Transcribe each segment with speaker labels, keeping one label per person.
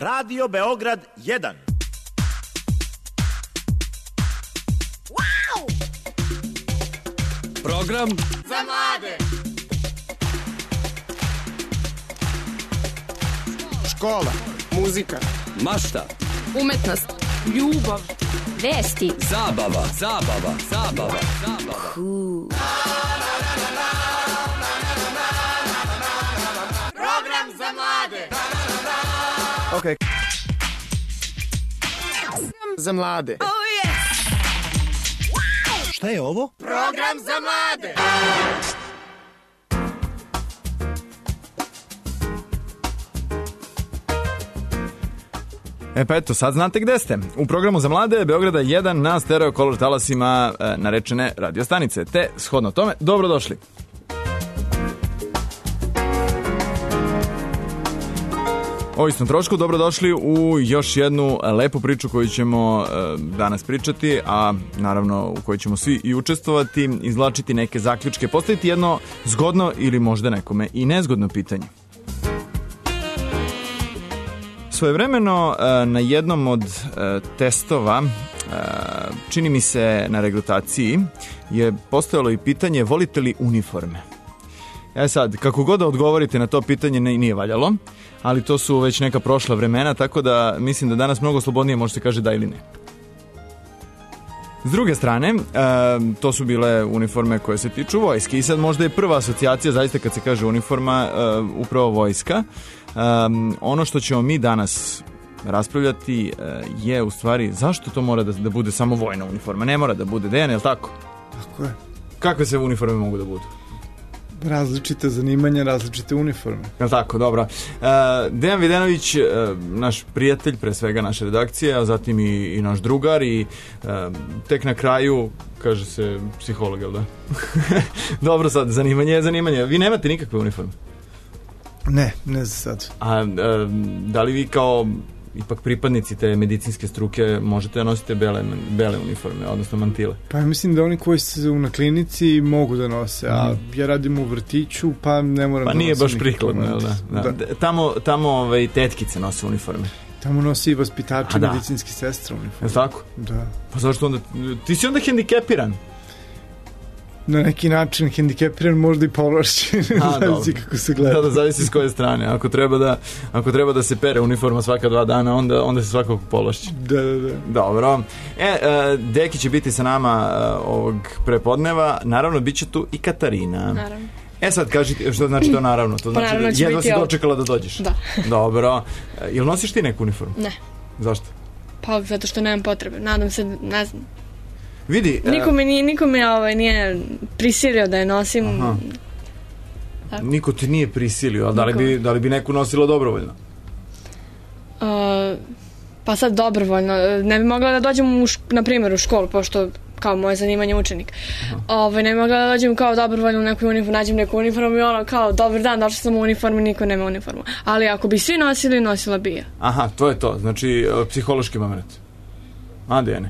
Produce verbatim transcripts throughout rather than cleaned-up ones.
Speaker 1: Radio Beograd jedan.
Speaker 2: Wow!
Speaker 3: Program
Speaker 2: za mlade.
Speaker 4: Škola, muzika,
Speaker 3: mašta,
Speaker 5: umetnost, ljubav, vesti,
Speaker 3: zabava, zabava, zabava, zabava.
Speaker 5: Cool.
Speaker 2: Program za mlade.
Speaker 4: Ok. Za mlade.
Speaker 2: Oh yes.
Speaker 1: Wow! Šta je ovo?
Speaker 2: Program za mlade.
Speaker 6: E pa eto, sad znate gde ste. U programu za mlade Beograda jedan na stereo kolor talasima e, narečene radio stanice. Te, shodno tome, dobrodošli. O istom trošku, dobrodošli u još jednu lepu priču koju ćemo e, danas pričati, a naravno u kojoj ćemo svi i učestvovati, izvlačiti neke zaključke, postaviti jedno zgodno ili možda nekome i nezgodno pitanje. Svojevremeno na jednom od testova, čini mi se na regrutaciji, je postojalo i pitanje volite li uniforme? E sad, kako god da odgovorite na to pitanje nije valjalo, ali to su već neka prošla vremena, tako da mislim da danas mnogo slobodnije može se kaže da ili ne. S druge strane, to su bile uniforme koje se tiču vojske i sad možda je prva asocijacija, zaista kad se kaže uniforma, upravo vojska. Um, ono što ćemo mi danas raspravljati uh, je u stvari zašto to mora da, da bude samo vojna uniforma, ne mora da bude Dejan, je li tako?
Speaker 7: Tako je.
Speaker 6: Kakve se uniforme mogu da budu?
Speaker 7: Različite zanimanja, različite uniforme.
Speaker 6: Je li tako, dobro. Uh, Dejan Videnović, uh, naš prijatelj, pre svega naše redakcije, a zatim i, i naš drugar i uh, tek na kraju kaže se psiholog, jel da? Dobro, sad, zanimanje je zanimanje. Vi nemate nikakve uniforme?
Speaker 7: Ne, ne za sad.
Speaker 6: A, a da li vi kao ipak pripadnici te medicinske struke možete da nosite bele, bele uniforme, odnosno mantile?
Speaker 7: Pa mislim da oni koji su na klinici mogu da nose, a mm. ja radim u vrtiću, pa ne moram
Speaker 6: pa
Speaker 7: da nosim. Pa
Speaker 6: nije baš prikladno, jel da? da. da. Tamo, tamo ovaj, tetkice nose uniforme.
Speaker 7: Tamo nosi i vaspitači, da. Medicinski sestra uniforme.
Speaker 6: Je tako?
Speaker 7: Da.
Speaker 6: Pa zašto onda? Ti si onda hendikepiran?
Speaker 7: Na neki način hendikepiran, možda i povlašćen, zavisi kako se gleda.
Speaker 6: Da, da, zavisi s koje strane. Ako treba da, ako treba da se pere uniforma svaka dva dana, onda, onda se svakako povlašćen.
Speaker 7: Da, da, da.
Speaker 6: Dobro. E, uh, Deki će biti sa nama uh, ovog prepodneva. Naravno, bit će tu i Katarina.
Speaker 5: Naravno.
Speaker 6: E sad, kaži ti, što znači to naravno? To znači
Speaker 5: naravno
Speaker 6: da jedva si dočekala da dođeš?
Speaker 5: Da.
Speaker 6: Dobro. Uh, jel nosiš ti neku uniformu?
Speaker 5: Ne.
Speaker 6: Zašto?
Speaker 5: Pa, zato što nemam potrebe. Nadam se, ne znam.
Speaker 6: Vidi,
Speaker 5: niko me nije, niko me ovaj, nije prisilio da je nosim.
Speaker 6: Aha. Niko ti nije prisilio, a da li, bi, da li bi neku nosila dobrovoljno?
Speaker 5: Uh, pa sad dobrovoljno. Ne bi mogla da dođem, u š, na primjer, u školu, pošto kao moje zanimanje učenik. Ovaj, ne bi mogla da dođem kao dobrovoljno u neku uniformu, nađem neku uniformu i ono kao, dobar dan, došla sam u uniformu, niko nema uniformu. Ali ako bi svi nosili, nosila bi ja.
Speaker 6: Aha, to je to. Znači, psihološki moment. A, Dejane?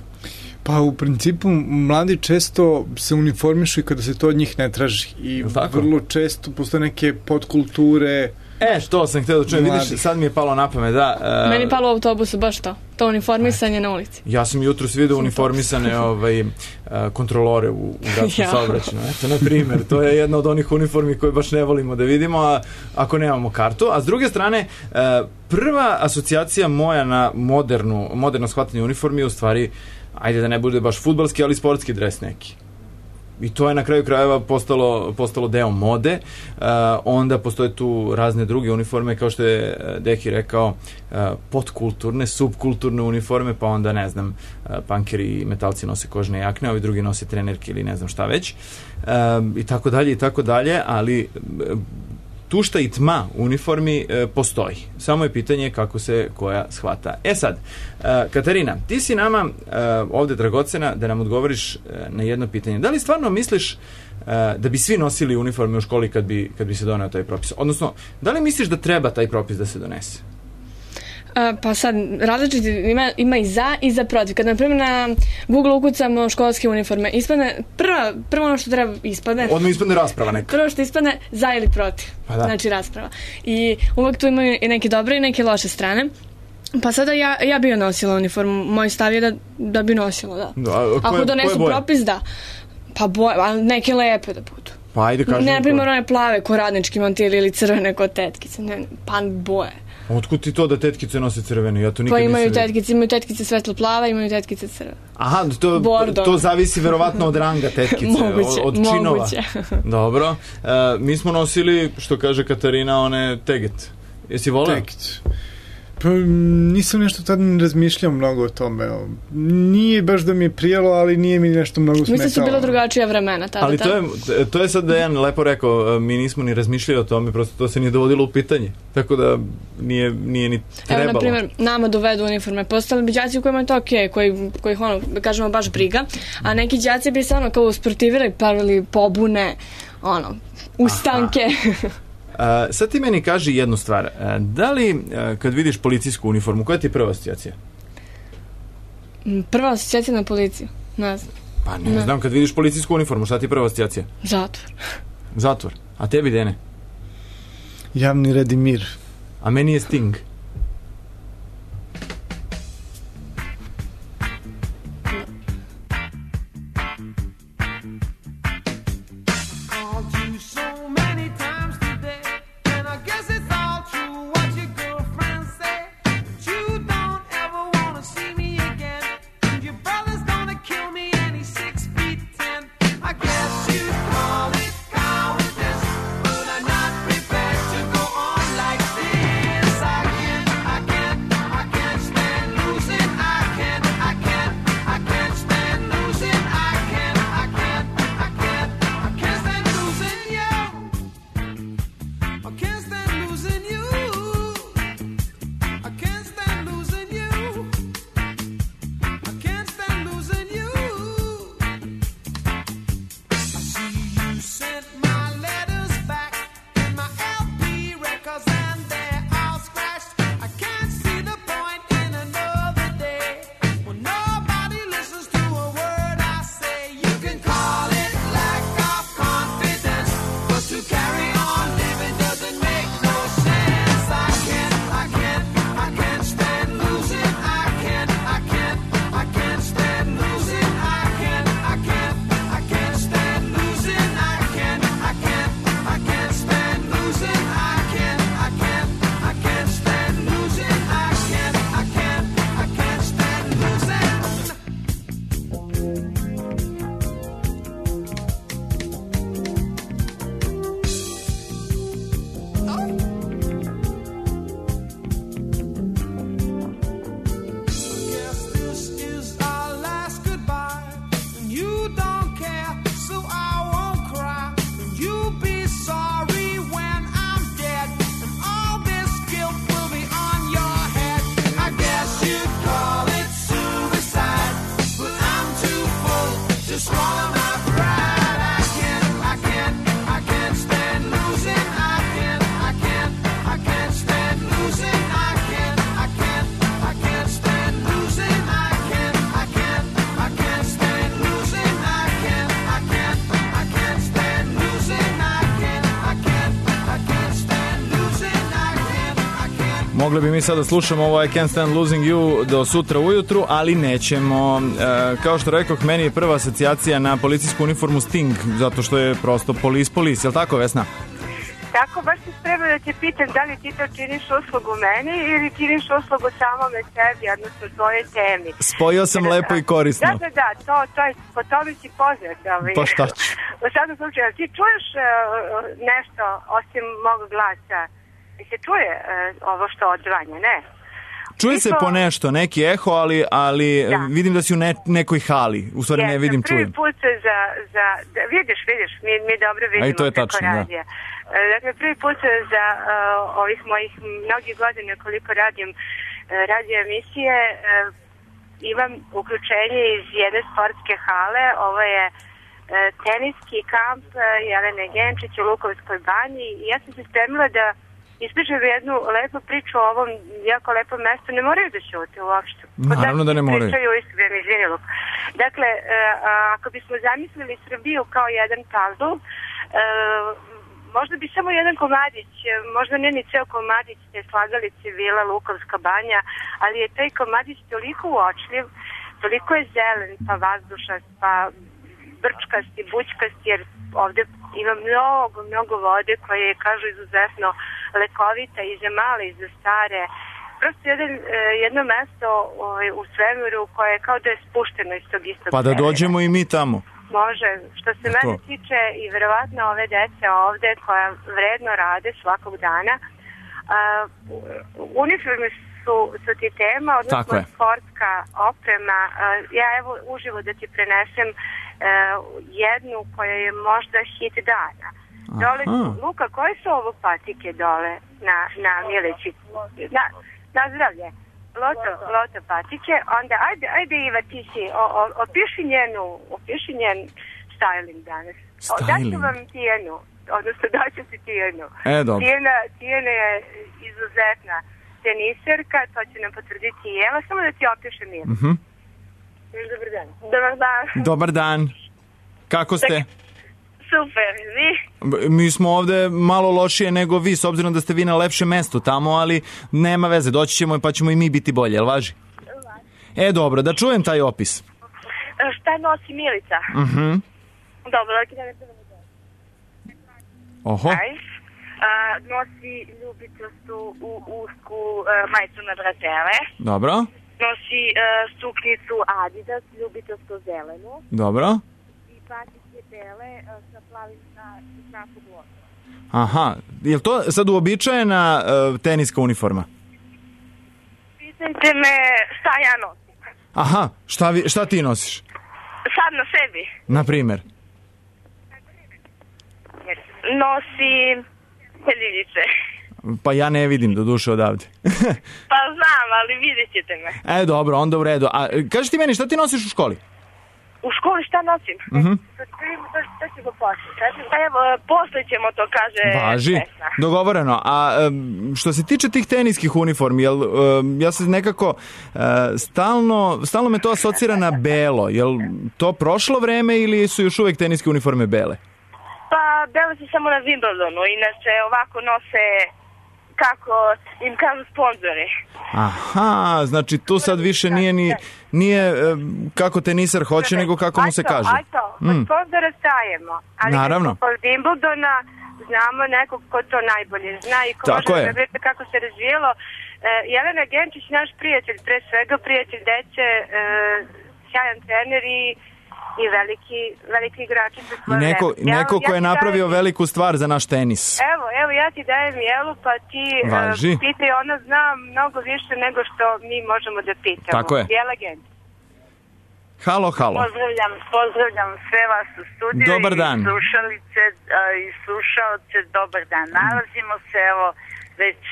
Speaker 7: Pa u principu mladi često se uniformišu i kada se to od njih ne traži i vrlo često postoje neke podkulture.
Speaker 6: E, što sam htio da čujem, vidiš, sad mi je palo na pamet, da. Uh,
Speaker 5: Meni je palo u autobusu baš to, to uniformisanje na ulici.
Speaker 6: Ja sam jutros vidio uniformisane ovaj, uh, kontrolore u, u gradskom ja. saobraćaju. Eto, na primjer, to je jedna od onih uniformi koje baš ne volimo da vidimo, a, ako nemamo kartu. A s druge strane, uh, prva asocijacija moja na modernu, moderno shvatanje uniformi je u stvari, ajde da ne bude baš fudbalski, ali sportski dres neki. I to je na kraju krajeva postalo, postalo deo mode. Uh, onda postoje tu razne druge uniforme, kao što je Deki rekao, uh, podkulturne, subkulturne uniforme, pa onda, ne znam, uh, punkeri i metalci nose kožne jakne, ovi drugi nose trenerke ili ne znam šta već. Uh, I tako dalje, i tako dalje, ali uh, tušta i tma uniformi e, postoji. Samo je pitanje kako se koja shvata. E sad, e, Katarina, ti si nama e, ovde dragocena da nam odgovoriš e, na jedno pitanje. Da li stvarno misliš e, da bi svi nosili uniforme u školi kad bi, kad bi se doneo taj propis? Odnosno, da li misliš da treba taj propis da se donese?
Speaker 5: A, pa sad, različiti ima, ima i za i za protiv. Kad, na primjer, na Google ukucamo školske uniforme, ispadne, prva, prvo ono što treba ispadne...
Speaker 6: Odmah ispadne rasprava neka.
Speaker 5: Prvo što ispadne za ili protiv.
Speaker 6: Pa da.
Speaker 5: Znači rasprava. I uvek tu imaju i neke dobre i neke loše strane. Pa sada ja, ja bi nosila uniformu. Moj stav je da, da bi nosila, da.
Speaker 6: da koje,
Speaker 5: Ako donesu propis, da. Pa boje, ali neke lepe da budu.
Speaker 6: Pa ajde kažem.
Speaker 5: Ne, na primjer, one plave ko radnički mantili ili crvene ko tetkice. Ne, pa boje.
Speaker 6: Otkud ti to da tetkice nose crvene? Ja to nikad
Speaker 5: pa imaju
Speaker 6: nisam
Speaker 5: tetkice, imaju tetkice svetlo plave, imaju tetkice crvene.
Speaker 6: Aha, to, to zavisi verovatno od ranga tetkice,
Speaker 5: moguće,
Speaker 6: od, od činova.
Speaker 5: Moguće.
Speaker 6: Dobro. E, mi smo nosili, što kaže Katarina, one teget. Jesi voleo?
Speaker 7: Teget. Pa nisam nešto tad ne razmišljao mnogo o tome. Nije baš da mi je prijelo, ali nije mi nešto mnogo smetalo.
Speaker 5: Mislim su bila drugačija vremena tada.
Speaker 6: Ali to je, to je sad Dejan lepo rekao, mi nismo ni razmišljali o tome, prosto to se nije dovodilo u pitanje. Tako da nije, nije ni trebalo.
Speaker 5: Evo, na primjer, nama dovedu uniforme. Postali bi đaci u kojima je to okej, okay, koji, kojih ono, kažemo, baš briga, a neki đaci bi se ono kao usportivirali, pravili pobune, ono, ustanke.
Speaker 6: Uh, sad ti meni kaži jednu stvar. Uh, da li, uh, kad vidiš policijsku uniformu, koja ti je prva asocijacija?
Speaker 5: Prva asocijacija na policiju? Ne znam.
Speaker 6: Pa ne, ne znam, kad vidiš policijsku uniformu, šta ti je prva asocijacija?
Speaker 5: Zatvor.
Speaker 6: Zatvor. A tebi, Dene?
Speaker 7: Javni red i mir.
Speaker 6: A meni je Sting. Mogli bi mi sad da slušamo ovo I Can't Stand Losing You do sutra ujutru, ali nećemo. E, kao što rekoh, meni je prva asocijacija na policijsku uniformu Sting, zato što je prosto polis polis, je li tako, Vesna?
Speaker 8: Tako, baš se sprema da te pitam da li ti to činiš uslugu meni ili činiš uslugu samome sebi, odnosno tvojoj temi.
Speaker 6: Spojio sam da, lepo i korisno.
Speaker 8: Da, da, da, to, to je, po tome si poznat. Ovaj.
Speaker 6: Pa šta ću?
Speaker 8: U svakom slučaju, ti čuješ uh, nešto osim mog glasa? I se čuje uh, ovo što odzvanja, ne?
Speaker 6: Čuje
Speaker 8: Niko...
Speaker 6: se po nešto, neki eho, ali, ali da. Vidim da si u ne, nekoj hali. U stvari yes, ne vidim, čujem.
Speaker 8: Prvi put za, za da, vidiš, vidiš, mi, mi dobro vidimo.
Speaker 6: A i to je tačno, da.
Speaker 8: Dakle, prvi put za uh, ovih mojih mnogih godina koliko radim uh, radio emisije, uh, imam uključenje iz jedne sportske hale. Ovo je uh, teniski kamp uh, Jelene Genčić u Lukovskoj banji i ja sam se spremila da ispričam jednu lepu priču o ovom jako lepom mestu. Ne moraju da ćute uopšte.
Speaker 6: Naravno da ne moraju.
Speaker 8: Pričaju iskreno, izvinilo. Dakle, uh, ako bismo zamislili Srbiju kao jedan puzzle, uh, možda bi samo jedan komadić, možda ne ni ceo komadić te slagalice Vila Lukovska banja, ali je taj komadić toliko uočljiv, toliko je zelen, pa vazdušast, pa brčkast i bućkast, jer ovde ima mnogo, mnogo vode koje je, kažu, izuzetno lekovita i za male i za stare. Prosto jedan, jedno mesto u svemiru koje je kao da je spušteno iz tog istog
Speaker 6: Pa da
Speaker 8: svemira.
Speaker 6: dođemo i mi tamo.
Speaker 8: Može. Što se mene tiče i verovatno ove dece ovde koja vredno rade svakog dana, uh, uniforme su, su ti tema, odnosno sportska oprema. Uh, ja evo uživo da ti prenesem uh, jednu koja je možda hit dana. Dole su, Luka, koje su ovo patike dole na, na Milići? Na, na zdravlje. Loto, loto patike, onda ajde, ajde Iva, ti si, o, o, opiši njenu, opiši njen styling danas.
Speaker 6: Styling?
Speaker 8: Daću vam Tijenu, odnosno daću si Tijenu.
Speaker 6: E, dobro.
Speaker 8: Tijena, Tijena je izuzetna teniserka, to će nam potvrditi i Eva, samo da ti opišem Iva.
Speaker 6: Mhm.
Speaker 8: Dobar dan. Dobar dan.
Speaker 6: Dobar dan. Kako ste?
Speaker 8: Super, vi?
Speaker 6: Mi smo ovde malo lošije nego vi, s obzirom da ste vi na lepšem mestu tamo, ali nema veze, doći ćemo pa ćemo i mi biti bolje, jel važi? E, dobro, da čujem taj opis.
Speaker 8: Šta nosi Milica?
Speaker 6: Mhm.
Speaker 8: Dobro, da ne trebamo da.
Speaker 6: Oho.
Speaker 8: Aj. A, nosi ljubitostu u usku uh, majicu na brazele.
Speaker 6: Dobro.
Speaker 8: Nosi uh, suknicu Adidas, ljubitostu zelenu.
Speaker 6: Dobro.
Speaker 8: I patike bele uh, sa plavim na znaku bloka.
Speaker 6: Aha, je li to sad uobičajena uh, teniska uniforma?
Speaker 8: Pitajte me šta ja nosim.
Speaker 6: Aha, šta, vi, šta ti nosiš?
Speaker 8: Sad na sebi.
Speaker 6: Na primer?
Speaker 8: Nosim peljivice.
Speaker 6: Pa ja ne vidim do duše odavde.
Speaker 8: Pa znam, ali vidjet ćete me.
Speaker 6: E, dobro, onda u redu. A kaži ti meni, šta ti nosiš u školi?
Speaker 8: U školi šta nosim?
Speaker 6: Mhm.
Speaker 8: Šta će go posle? Pa evo, posle ćemo to, kaže
Speaker 6: Važi,
Speaker 8: pesma.
Speaker 6: dogovoreno. A um, što se tiče tih teniskih uniformi, jel, um, ja se nekako uh, stalno, stalno me to asocira na belo. Jel to prošlo vreme ili su još uvek teniske uniforme bele?
Speaker 8: Pa bele su samo na Wimbledonu, inače ovako nose, kako im kažu, sponzori.
Speaker 6: Aha, znači tu sad više nije ni nije um, kako teniser hoće, nego kako mu se kaže.
Speaker 8: Ajto, mm. od sponzora stajemo. Ali
Speaker 6: naravno.
Speaker 8: Od Wimbledona znamo nekog ko to najbolje zna i ko
Speaker 6: tako
Speaker 8: može
Speaker 6: je.
Speaker 8: da vidite kako se razvijelo. Uh, Jelena Genčić, naš prijatelj, pre svega prijatelj dece, uh, sjajan trener i i veliki, veliki igrači za svoje
Speaker 6: neko,
Speaker 8: vreme.
Speaker 6: neko
Speaker 8: ja,
Speaker 6: ko je
Speaker 8: ja
Speaker 6: napravio
Speaker 8: dajem,
Speaker 6: veliku stvar za naš tenis.
Speaker 8: Evo, evo, ja ti dajem Jelu, pa ti
Speaker 6: Važi.
Speaker 8: uh, pitaj, ona zna mnogo više nego što mi možemo da pitamo.
Speaker 6: Tako je.
Speaker 8: Jela Genčić.
Speaker 6: Halo, halo.
Speaker 9: Pozdravljam, pozdravljam sve vas u studiju.
Speaker 6: Dobar dan.
Speaker 9: I slušalice i slušalce, dobar dan. Nalazimo se, evo, već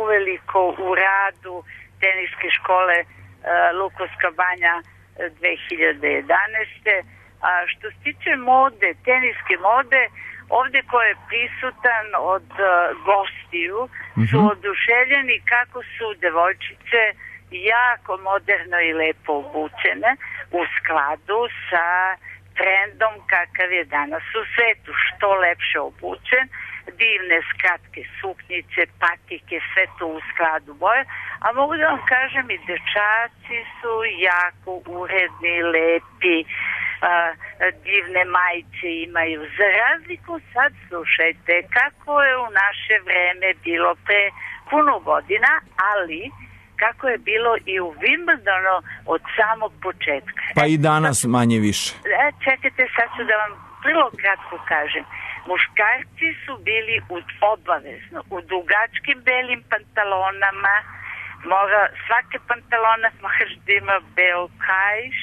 Speaker 9: uveliko u radu teniske škole uh, Lukovska banja dve hiljade jedanaeste. A što se tiče mode, teniske mode, ovde ko je prisutan od uh, gostiju mm-hmm. su oduševljeni kako su devojčice jako moderno i lepo obučene u skladu sa trendom kakav je danas u svetu. Što lepše obučen, divne skratke suknjice, patike, sve to u skladu boje. A mogu da vam kažem i dečaci su jako uredni, lepi, a, divne majice imaju. Za razliku sad slušajte kako je u naše vreme bilo pre puno godina, ali kako je bilo i u Wimbledonu od samog početka.
Speaker 6: Pa i danas manje više.
Speaker 9: E, čekajte, sad ću da vam vrlo kratko kažem. Muškarci su bili u, obavezno u dugačkim belim pantalonama, mora, svake pantalona moraš da ima beo kajš,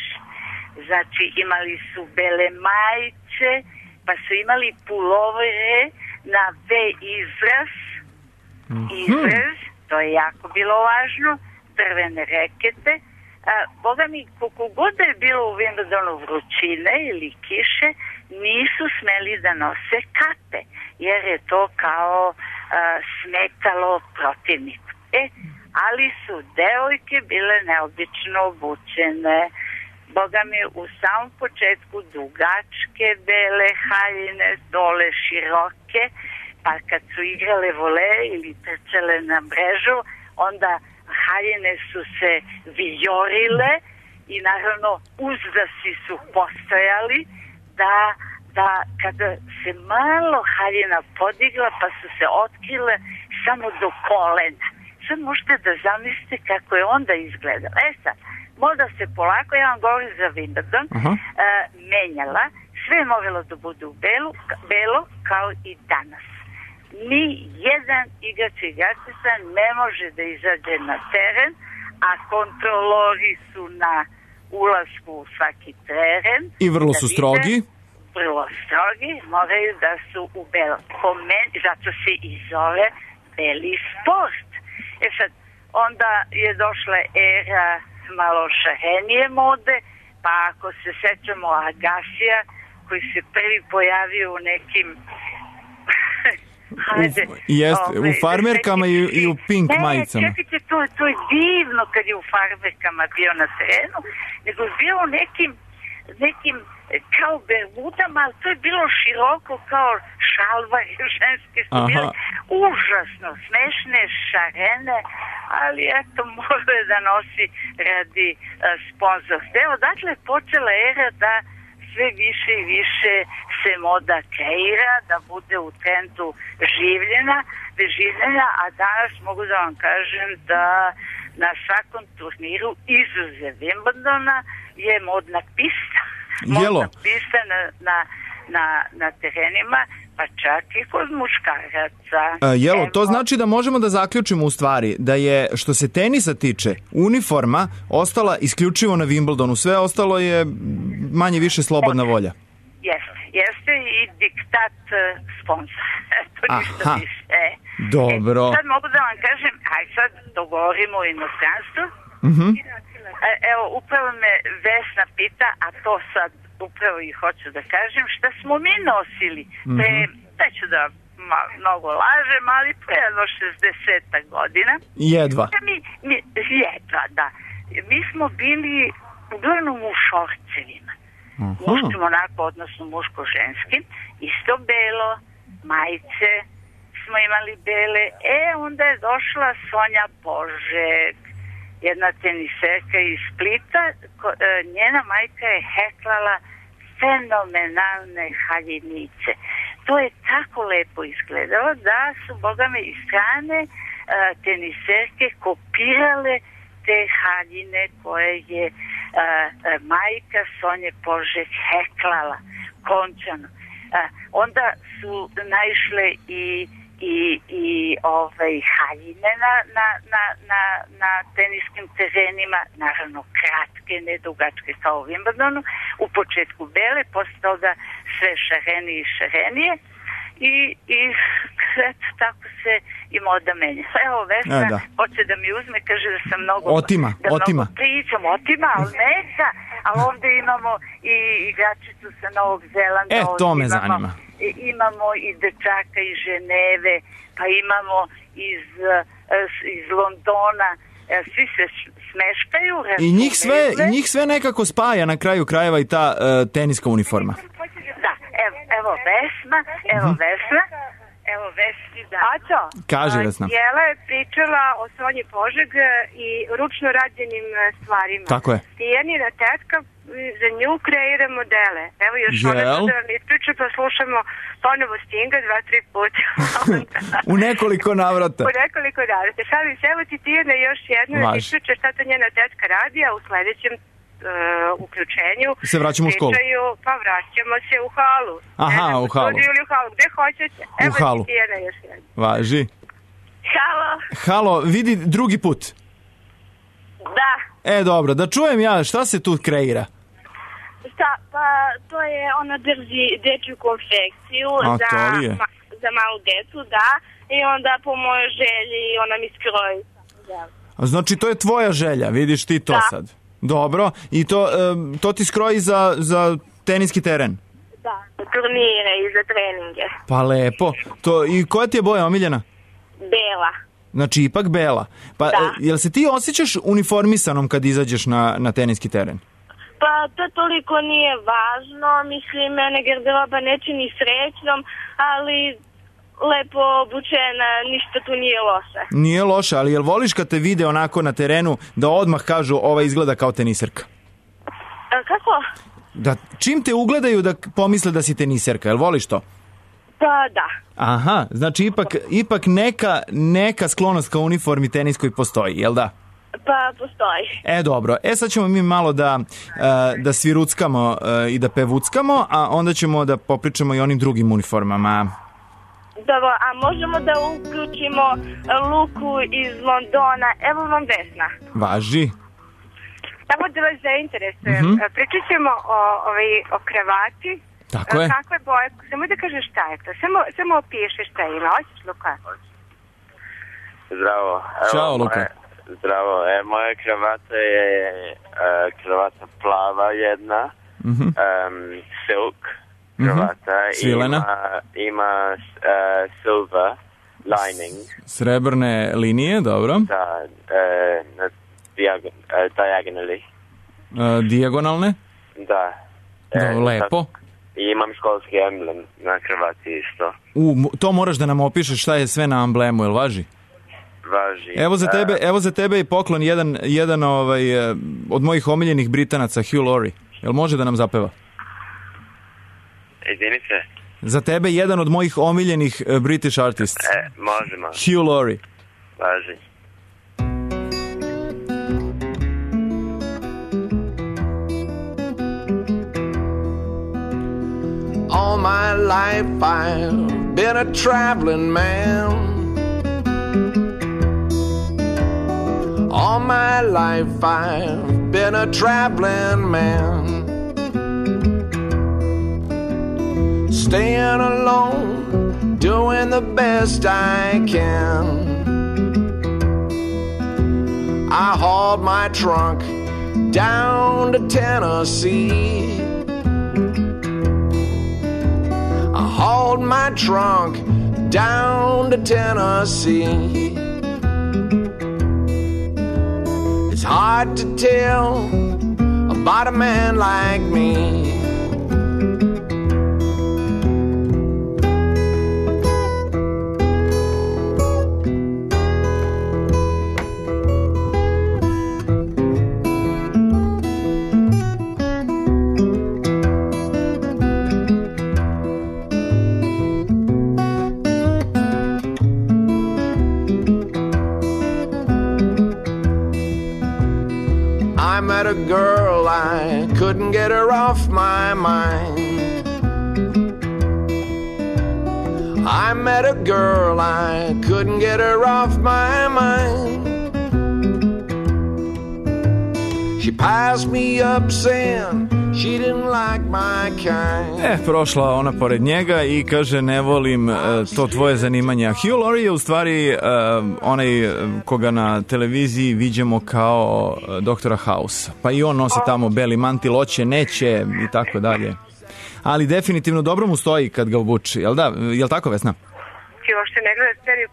Speaker 9: znači imali su bele majice, pa su imali pulovere na V izraz, izraz, to je jako bilo važno, drvene rekete. A, Boga mi, koliko god da je bilo u Wimbledonu vrućine ili kiše, nisu smeli da nose kape, jer je to kao a, smetalo protivniku. E, ali su devojke bile neobično obučene. Boga mi, u samom početku dugačke bele haljine, dole široke, pa kad su igrale vole ili trčale na mrežu, onda haljine su se vijorile i naravno uzdasi su postojali da, da kada se malo haljina podigla pa su se otkrile samo do kolena. Sad možete da zamislite kako je onda izgledala. E sad, možda se polako, ja vam govorim za Wimbledon, uh, menjala, sve je moralo da bude u belu, belo kao i danas. Ni jedan igrač i igračica ne može da izađe na teren, a kontrolori su na ulasku u svaki teren.
Speaker 6: I vrlo su strogi.
Speaker 9: Vrlo strogi, moraju da su u belo. Po meni, zato se i zove beli sport. E sad, onda je došla era malo šarenije mode, pa ako se sećamo Agasija, koji se prvi pojavio u nekim Hajde,
Speaker 6: u, jest, ove, u farmerkama i, i u pink ne, majicama.
Speaker 9: Ne, čekajte, to, to je divno kad je u farmerkama bio na terenu, nego je bio u nekim, nekim kao bermudama, ali to je bilo široko kao šalvari ženske, su bile užasno smešne, šarene, ali eto, može da nosi radi uh, sponzorstva. Evo, dakle, je počela era da sve više i više se moda kreira, da bude u trendu življena, življenja, a danas mogu da vam kažem da na svakom turniru izuzev Wimbledona je modna pista.
Speaker 6: Jelo.
Speaker 9: Modna pista na, na, na, na terenima, pa čak i kod muškaraca.
Speaker 6: A, jelo, to znači da možemo da zaključimo u stvari da je, što se tenisa tiče, uniforma ostala isključivo na Wimbledonu. Sve ostalo je manje više slobodna volja.
Speaker 9: Jeste, jeste i diktat uh, sponsora. To ništa više. E,
Speaker 6: dobro.
Speaker 9: E, sad mogu da vam kažem, aj sad dogovorimo u inostranstvu.
Speaker 6: Mhm.
Speaker 9: E, evo, upravo me Vesna pita, a to sad upravo i hoću da kažem, šta smo mi nosili pre, neću da ma, mnogo lažem, ali pre jedno šezdeset godina.
Speaker 6: Jedva.
Speaker 9: Mi, mi, jedva, da. Mi smo bili uglavnom u šorcevima. Muškim onako, odnosno muško-ženskim, isto belo, majice smo imali bele. E, onda je došla Sonja Božek, jedna teniserka iz Splita, ko, e, njena majka je heklala fenomenalne haljinice. To je tako lepo izgledalo da su, boga me, iz strane e, teniserke kopirale te haljine koje je e, e, majka Sonje Požek heklala končano. E, onda su naišle i i, i ovaj, haljine na, na, na, na, na teniskim terenima, naravno kratke, ne dugačke kao u Wimbledonu, u početku bele, posle toga sve šarenije i šarenije i, i eto, tako se i moda menja. Evo, Vesna e, da. hoće da mi uzme, kaže da sam mnogo,
Speaker 6: otima,
Speaker 9: da
Speaker 6: otima.
Speaker 9: mnogo pričam, otima, ali neka, ali ovde imamo i igračicu sa Novog Zelanda.
Speaker 6: E, to me
Speaker 9: imamo,
Speaker 6: zanima.
Speaker 9: Imamo i dečaka iz Ženeve, pa imamo iz, iz Londona, svi se smeškaju.
Speaker 6: I njih sve, i njih sve nekako spaja na kraju krajeva i ta uh, teniska uniforma.
Speaker 9: Da, evo, evo Vesna, evo uh-huh. Vesna, evo Vesni, da.
Speaker 10: Aco,
Speaker 6: kaže Vesna.
Speaker 10: Jela je pričala o Sonji Požeg i ručno rađenim stvarima.
Speaker 6: Tako je.
Speaker 10: Tijanina tetka za nju kreira modele. Evo još
Speaker 6: Jel?
Speaker 10: ona da vam ispriča, pa slušamo ponovo Stinga dva, tri puta.
Speaker 6: U nekoliko navrata.
Speaker 10: U nekoliko navrata. Šalim se, evo ti Tijana još jedno da ispriča šta to njena tetka radi, a u sledećem uh, uključenju
Speaker 6: se vraćamo u školu.
Speaker 10: Pričaju, pa vraćamo se u halu.
Speaker 6: Aha,
Speaker 10: ne,
Speaker 6: u halu.
Speaker 10: Ili u halu, gde hoćete. Evo
Speaker 6: u halu.
Speaker 10: ti Tijana još jedno.
Speaker 6: Važi.
Speaker 10: Halo.
Speaker 6: Halo, vidi drugi put.
Speaker 10: Da.
Speaker 6: E, dobro, da čujem ja, šta se tu kreira?
Speaker 10: Šta, pa to je, ona drži dečju konfekciju
Speaker 6: A,
Speaker 10: za, ma, za malu decu, da, i onda po mojoj želji ona mi skroji.
Speaker 6: A znači to je tvoja želja, vidiš ti to da. sad. Dobro, i to, um, to ti skroji za, za teniski teren?
Speaker 10: Da, za turnire i za treninge.
Speaker 6: Pa lepo. To, i koja ti je boja omiljena?
Speaker 10: Bela.
Speaker 6: Znači ipak bela. Pa da. Jel se ti osjećaš uniformisanom kad izađeš na, na teniski teren?
Speaker 10: Pa to toliko nije važno, mislim, mene garderoba neće ni srećnom, ali lepo obučena, ništa tu nije loše.
Speaker 6: Nije loše, ali jel voliš kad te vide onako na terenu da odmah kažu ova izgleda kao teniserka?
Speaker 10: A, kako?
Speaker 6: Da čim te ugledaju da pomisle da si teniserka, jel voliš to?
Speaker 10: Pa da.
Speaker 6: Aha, znači ipak, ipak neka, neka sklonost ka uniformi teniskoj postoji, jel da?
Speaker 10: Pa postoji.
Speaker 6: E dobro, e sad ćemo mi malo da, da sviruckamo i da pevuckamo, a onda ćemo da popričamo i onim drugim uniformama.
Speaker 10: Dobro, a možemo da uključimo Luku iz Londona, evo vam Vesna.
Speaker 6: Važi.
Speaker 10: Samo da vas zainteresujem.
Speaker 6: Mm-hmm.
Speaker 10: Pričat ćemo o, ovaj, o kravati.
Speaker 6: Tako je.
Speaker 10: Kakve boje, samo da kažeš šta je to. Samo, samo opiši šta ima. Hoćeš, Luka?
Speaker 11: Zdravo. Evo,
Speaker 6: Ćao, Luka.
Speaker 11: Moje, zdravo. E, moja kravata je uh, kravata plava jedna. Mm-hmm. Um, silk kravata. Mm-hmm.
Speaker 6: Svilena.
Speaker 11: Ima, ima uh, silver lining.
Speaker 6: Srebrne linije, dobro.
Speaker 11: Da, uh, na diagon, uh, diagonally.
Speaker 6: Uh, dijagonalne?
Speaker 11: Da.
Speaker 6: Da,
Speaker 11: e,
Speaker 6: lepo.
Speaker 11: I imam školski emblem na kravati isto.
Speaker 6: U, to moraš da nam opišeš šta je sve na amblemu, jel važi?
Speaker 11: Važi.
Speaker 6: Evo za tebe, evo za tebe i poklon jedan, jedan ovaj, od mojih omiljenih Britanaca, Hugh Laurie. Jel može da nam zapeva?
Speaker 11: Izvini se.
Speaker 6: Za tebe jedan od mojih omiljenih British artists.
Speaker 11: E, možemo.
Speaker 6: Hugh Laurie.
Speaker 11: Važi.
Speaker 12: All my life I've been a traveling man. All my life I've been a traveling man. Staying alone, doing the best I can. I hauled my trunk down to Tennessee. I hauled my trunk down to Tennessee. It's hard to tell about a man like me. A girl, I couldn't get her off my mind. I met a girl, I couldn't get her off my mind. She passed me up saying she didn't like my kind.
Speaker 6: E, prošla ona pored njega i kaže ne volim uh, to tvoje zanimanje. Hugh Laurie je u stvari uh, onaj koga na televiziji viđamo kao uh, doktora House. Pa i on nosi tamo beli mantil, oće, neće i tako dalje. Ali definitivno dobro mu stoji kad ga obuči. Jel da? Jel tako, Vesna?
Speaker 10: Ti uopšte ne gleda seriju,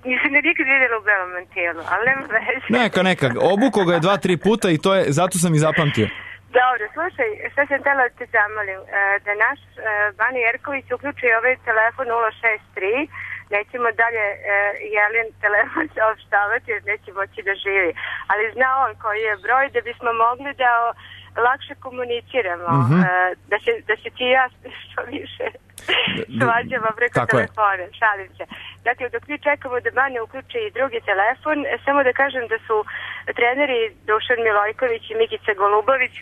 Speaker 10: nisam ne nikad vidjela u belom mantilu, ali nema veze.
Speaker 6: Neka, neka. Obuko ga je dva, tri puta i to je, zato sam i zapamtio.
Speaker 10: Dobro, slušaj, šta sam htjela da te zamolim, da naš Bani Jerković uključi ovaj telefon nula šest tri, nećemo dalje Jelin telefon saopštavati jer neće moći da živi, ali zna on koji je broj da bismo mogli da lakše komuniciramo, mm-hmm. da, se, da se ti ja što više svađamo preko telefona, šalim se. Dakle, dok mi čekamo da Banja uključi i drugi telefon, samo da kažem da su treneri Dušan Milojković i Mikica Golubović,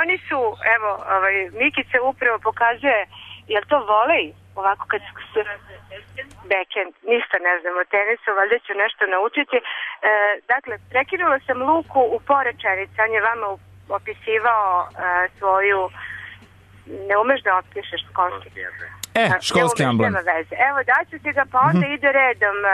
Speaker 10: oni su, evo, ovaj, Mikica upravo pokazuje, jel to volej? Ovako kad su backhand, ništa ne znam o tenisu, valjda ću nešto naučiti. E, dakle, prekinula sam Luku u porečenici, on je vama opisivao e, svoju, ne umeš da opišeš školski.
Speaker 6: E, školski amblem.
Speaker 10: Evo, daću ti ga, pa onda mm-hmm. ide redom uh,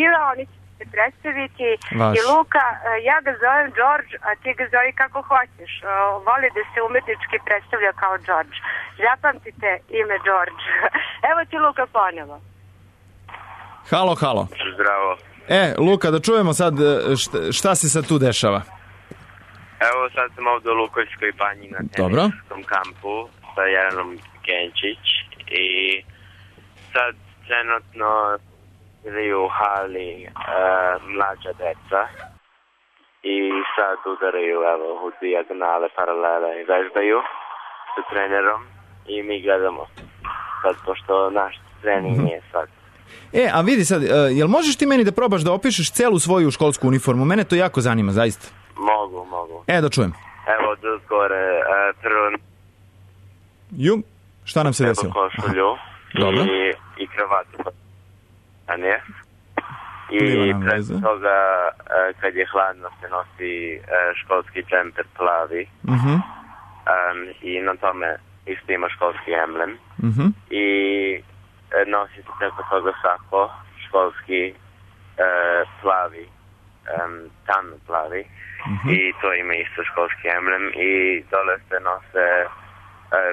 Speaker 10: Ira, oni će se predstaviti
Speaker 6: Vaš.
Speaker 10: I Luka, uh, ja ga zovem George, a ti ga zovi kako hoćeš. Uh, voli da se umetnički predstavlja kao George. Zapamtite ime George. Evo ti Luka ponovo.
Speaker 6: Halo, halo.
Speaker 11: Zdravo.
Speaker 6: E, Luka, da čujemo sad šta, šta se sad tu dešava.
Speaker 11: Evo sad sam ovdje u Lukojskoj banji na teniskom kampu sa Jelenom Genčić i sad trenutno ili u hali uh, mlađa deca i sad udaraju evo, u dijagonale, paralele i vežbaju sa trenerom i mi gledamo sad, pošto naš trening nije sad.
Speaker 6: E, a vidi sad, uh, jel možeš ti meni da probaš da opišeš celu svoju školsku uniformu? Mene to jako zanima, zaista.
Speaker 11: Mogu, mogu.
Speaker 6: E, da čujem.
Speaker 11: Evo, od gore, uh, prvo...
Speaker 6: Ju, šta nam se desilo?
Speaker 11: Evo košulju i, i kravatu. A nije? I pred toga, uh, kad je hladno, se nosi uh, školski džemper plavi.
Speaker 6: Uh-huh.
Speaker 11: Um, I na tome isto ima školski emblem.
Speaker 6: Uh-huh.
Speaker 11: I uh, nosi se preko toga sako, školski uh, plavi, um, tamno plavi. Uh-huh. I to ima isto školski emblem. I dole se nose uh,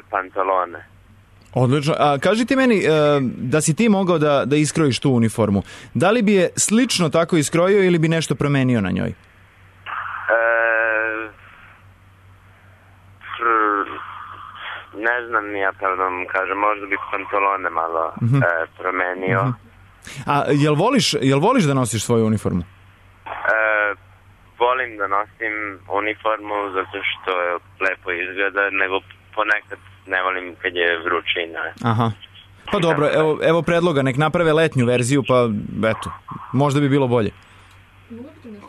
Speaker 11: pantalone.
Speaker 6: Odlično. A kaži ti meni, da si ti mogao da, da iskrojiš tu uniformu, da li bi je slično tako iskrojio ili bi nešto promenio na njoj?
Speaker 11: E, ne znam, ja pravda vam kažem, možda bi pantalone malo uh-huh. e, promenio. Uh-huh.
Speaker 6: A jel voliš, jel voliš da nosiš svoju uniformu?
Speaker 11: E, volim da nosim uniformu zato što je lepo izgleda, nego ponekad ne volim kad je vrućina.
Speaker 6: Aha. Pa dobro, evo, evo predloga, nek naprave letnju verziju, pa eto, možda bi bilo bolje.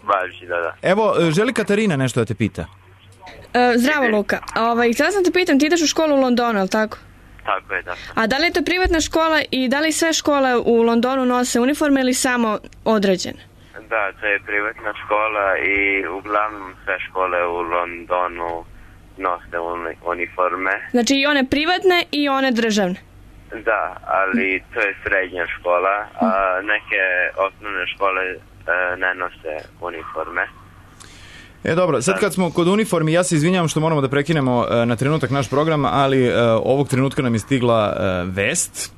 Speaker 11: Važi, da, da.
Speaker 6: Evo, želi Katarina nešto da te pita.
Speaker 5: E, zdravo, Luka. Ovaj, htjela sam te pitam, ti ideš u školu u Londonu, ali tako?
Speaker 11: Tako je, da.
Speaker 5: A da li je to privatna škola i da li sve škole u Londonu nose uniforme ili samo određene?
Speaker 11: Da, to je privatna škola i uglavnom sve škole u Londonu nose uniforme.
Speaker 5: Znači i one privatne i one državne?
Speaker 11: Da, ali to je srednja škola, a neke osnovne škole e, ne nose uniforme.
Speaker 6: E dobro, sad kad smo kod uniformi, ja se izvinjavam što moramo da prekinemo e, na trenutak naš program, ali e, ovog trenutka nam je stigla e, vest.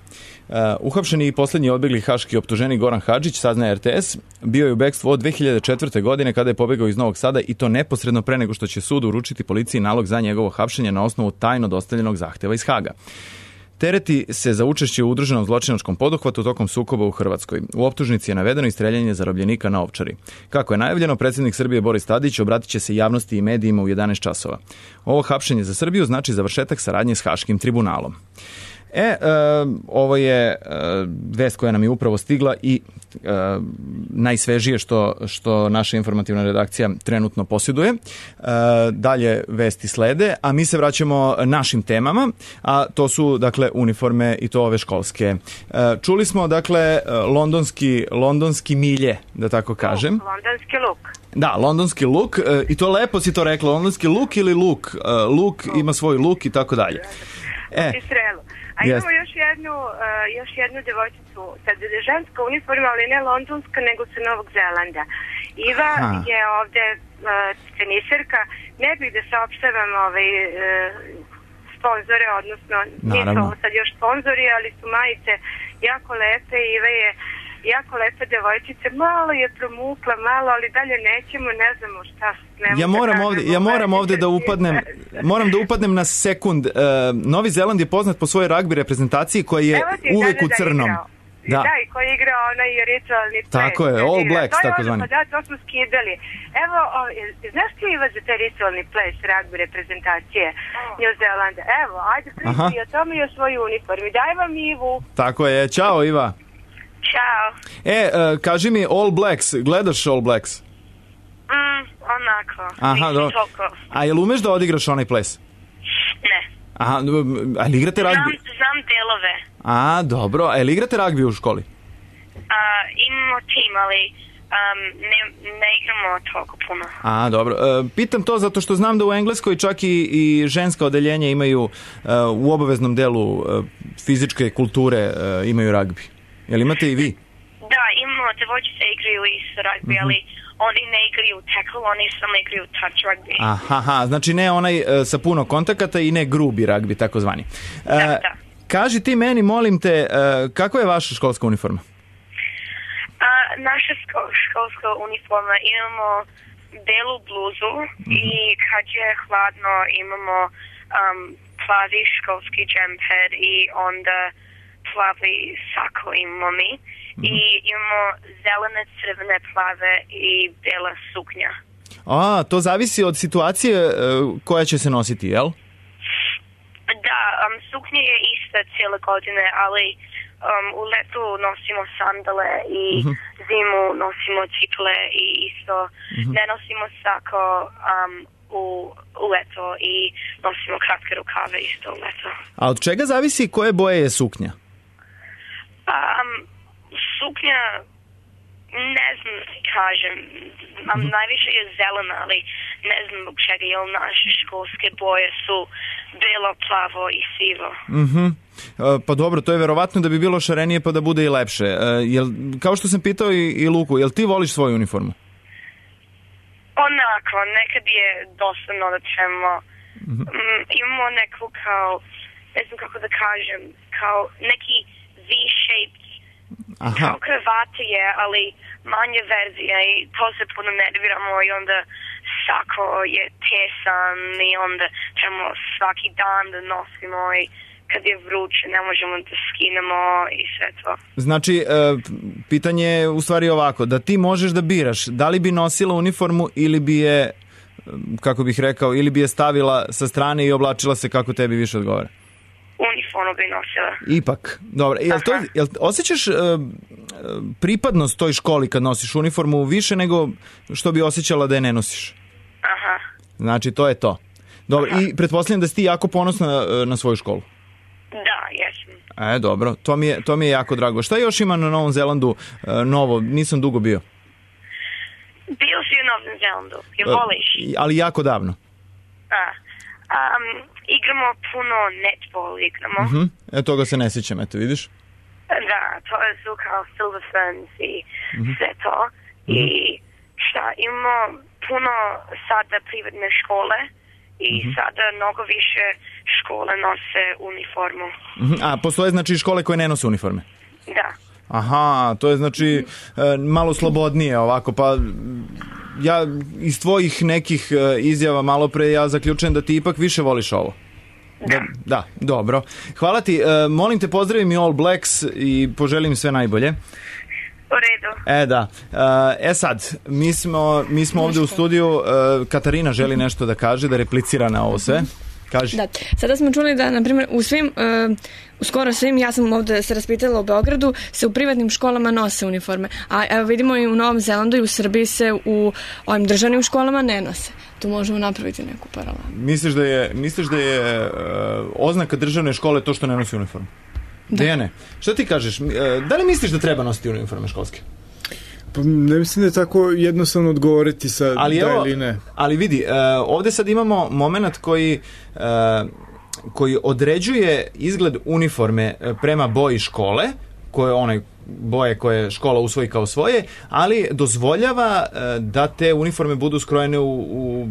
Speaker 6: Uh, uhapšeni i posljednji odbjegli haški optuženi Goran Hadžić, saznaje er te es, bio je u bekstvu od dve hiljade četvrte. godine kada je pobegao iz Novog Sada i to neposredno pre nego što će sud uručiti policiji nalog za njegovo hapšenje na osnovu tajno dostavljenog zahteva iz Haga. Tereti se za učešće u udruženom zločinačkom poduhvatu tokom sukoba u Hrvatskoj. U optužnici je navedeno i streljanje zarobljenika na Ovčari. Kako je najavljeno, predsjednik Srbije Boris Tadić obratit će se javnosti i medijima u jedanaest časova. Ovo hapšenje za Srbiju znači završetak saradnje s Haškim tribunalom. E, e, ovo je e, vest koja nam je upravo stigla i e, najsvežije što, što naša informativna redakcija trenutno posjeduje. E, dalje vesti slede, a mi se vraćamo našim temama, a to su dakle uniforme i to ove školske. E, čuli smo dakle londonski, londonski milje, da tako kažem.
Speaker 10: Londonski luk.
Speaker 6: Da, londonski luk, e, i to lepo si to rekla, londonski luk ili luk? E, luk ima svoj luk i tako dalje.
Speaker 10: E, A imamo yes. još jednu, uh, još jednu devojčicu, sad je ženska uniforma, ali ne londonska, nego sa Novog Zelanda. Iva Aha. je ovde uh, teniserka, ne bih da saopštavam ovaj, uh, sponzore, odnosno nisu ovo sad još sponzori, ali su majice jako lepe. Iva je jako lepa devojčica, malo je promukla, malo, ali dalje nećemo, ne znamo šta.
Speaker 6: Ja moram ovde, ja moram ovde da upadnem, moram da upadnem na sekund. Uh, Novi Zeland je poznat po svojoj ragbi reprezentaciji koja je uvek u crnom.
Speaker 10: Da. da, i koji igra onaj ritualni ples.
Speaker 6: Tako je, All Blacks, tako zvani.
Speaker 10: Da, to smo skidali. Evo, o, znaš ti Iva za taj ritualni ples ragbi reprezentacije New Zelanda? Evo, ajde pričaj o tome i o svojoj uniformi. Daj vam Ivu.
Speaker 6: Tako je, čao Iva.
Speaker 10: Ćao.
Speaker 6: E, uh, kaži mi All Blacks, gledaš All Blacks?
Speaker 10: Mm, onako.
Speaker 6: Aha, dobro. A jel umeš da odigraš onaj ples?
Speaker 10: Ne.
Speaker 6: Aha, a li igrate ragbi?
Speaker 10: Znam, znam delove.
Speaker 6: A, dobro. A jel igrate ragbi u školi?
Speaker 10: A, imamo tim, ali um, ne, ne igramo toliko puno.
Speaker 6: A, dobro. E, pitam to zato što znam da u Engleskoj čak i, i ženska odeljenja imaju uh, u obaveznom delu uh, fizičke kulture uh, imaju ragbi. Jel imate i vi?
Speaker 10: Da, imamo, devojčice igraju i s rugby, mm-hmm. ali oni ne igraju tackle, oni samo igraju touch rugby.
Speaker 6: Aha, znači ne onaj uh, sa puno kontakata i ne grubi rugby, tako zvani. Uh,
Speaker 10: da, da.
Speaker 6: Kaži ti meni, molim te, uh, kakva je vaša školska uniforma?
Speaker 10: Uh, naša ško- školska uniforma imamo belu bluzu mm-hmm. i kad je hladno imamo um, plavi školski džemper i onda plavi sako imamo mi. Mm-hmm. I imamo zelene, crvene, plave i bela suknja.
Speaker 6: A, to zavisi od situacije uh, koja će se nositi, jel?
Speaker 10: Da, um, suknja je ista cijele godine, ali um, u letu nosimo sandale i mm-hmm. zimu nosimo cipele i isto mm-hmm. ne nosimo sako um, u, u leto i nosimo kratke rukave isto u leto.
Speaker 6: A od čega zavisi koje boje je suknja?
Speaker 10: Um, suknja, ne znam da kažem, um, mm-hmm. najviše je zelena, ali ne znam zbog čega, jer naše školske boje su belo, plavo i sivo.
Speaker 6: Mhm. Pa dobro, to je verovatno da bi bilo šarenije pa da bude i lepše. Jel, kao što sam pitao i, i Luku, jel ti voliš svoju uniformu?
Speaker 10: Onako, nekad je dosadno da ćemo, mm-hmm. um, imamo neku kao, ne znam kako da kažem, kao neki V-shaped,
Speaker 6: Aha.
Speaker 10: kao kravate je, ali manje verzija i to se puno nerviramo i onda sako je tesan i onda ćemo svaki dan da nosimo i kad je vruće ne možemo da skinemo i sve to.
Speaker 6: Znači, e, pitanje je u stvari ovako, da ti možeš da biraš da li bi nosila uniformu ili bi je, kako bih rekao, ili bi je stavila sa strane i oblačila se kako tebi više odgovara?
Speaker 10: Uniformu bi nosila.
Speaker 6: Ipak, dobro. Jel to, jel osjećaš e, pripadnost toj školi kad nosiš uniformu više nego što bi osjećala da je ne nosiš?
Speaker 10: Aha.
Speaker 6: Znači, to je to. Dobro, aha. I pretpostavljam da si ti jako ponosna na svoju školu.
Speaker 10: Da, jesam.
Speaker 6: E, dobro, to mi je, to mi je jako drago. Šta još ima na Novom Zelandu e, novo? Nisam dugo bio.
Speaker 10: Bio si u Novom Zelandu, je voliš?
Speaker 6: E, ali jako davno.
Speaker 10: A, um, igramo puno netball, igramo.
Speaker 6: Uh-huh. E, toga se ne sjećam, eto, vidiš?
Speaker 10: Da, to je su kao Silver Ferns i uh-huh. sve to. Uh-huh. I šta, imamo puno sada privatne škole i uh-huh. sada mnogo više škole nose uniformu. Uh-huh.
Speaker 6: A, postoje znači škole koje ne nose uniforme?
Speaker 10: Da.
Speaker 6: Aha, to je znači e, malo slobodnije ovako, pa ja iz tvojih nekih e, izjava malo pre ja zaključujem da ti ipak više voliš ovo.
Speaker 10: Da.
Speaker 6: Da, dobro. Hvala ti, e, molim te pozdravim i All Blacks i poželim sve najbolje.
Speaker 10: U redu.
Speaker 6: E da, e sad, mi smo, mi smo ovdje u studiju, e, Katarina želi nešto da kaže, da replicira na ovo sve. Kaži.
Speaker 5: Da, sada smo čuli da, na primjer, u svim, uh, u skoro svim, ja sam ovdje se raspitala u Beogradu, se u privatnim školama nose uniforme. A evo vidimo i u Novom Zelandu i u Srbiji se u ovim državnim školama ne nose. Tu možemo napraviti neku paralelu.
Speaker 6: Misliš da je, misliš da je uh, oznaka državne škole to što ne nosi uniformu? Da. Dejane, šta ti kažeš? Uh, da li misliš da treba nositi uniforme školske?
Speaker 7: Pa ne mislim da je tako jednostavno odgovoriti sa
Speaker 6: ali
Speaker 7: da
Speaker 6: evo,
Speaker 7: ili ne.
Speaker 6: Ali vidi, uh, ovdje sad imamo moment koji, uh, koji određuje izgled uniforme prema boji škole, koje onaj boje koje škola usvoji kao svoje, ali dozvoljava uh, da te uniforme budu skrojene u, u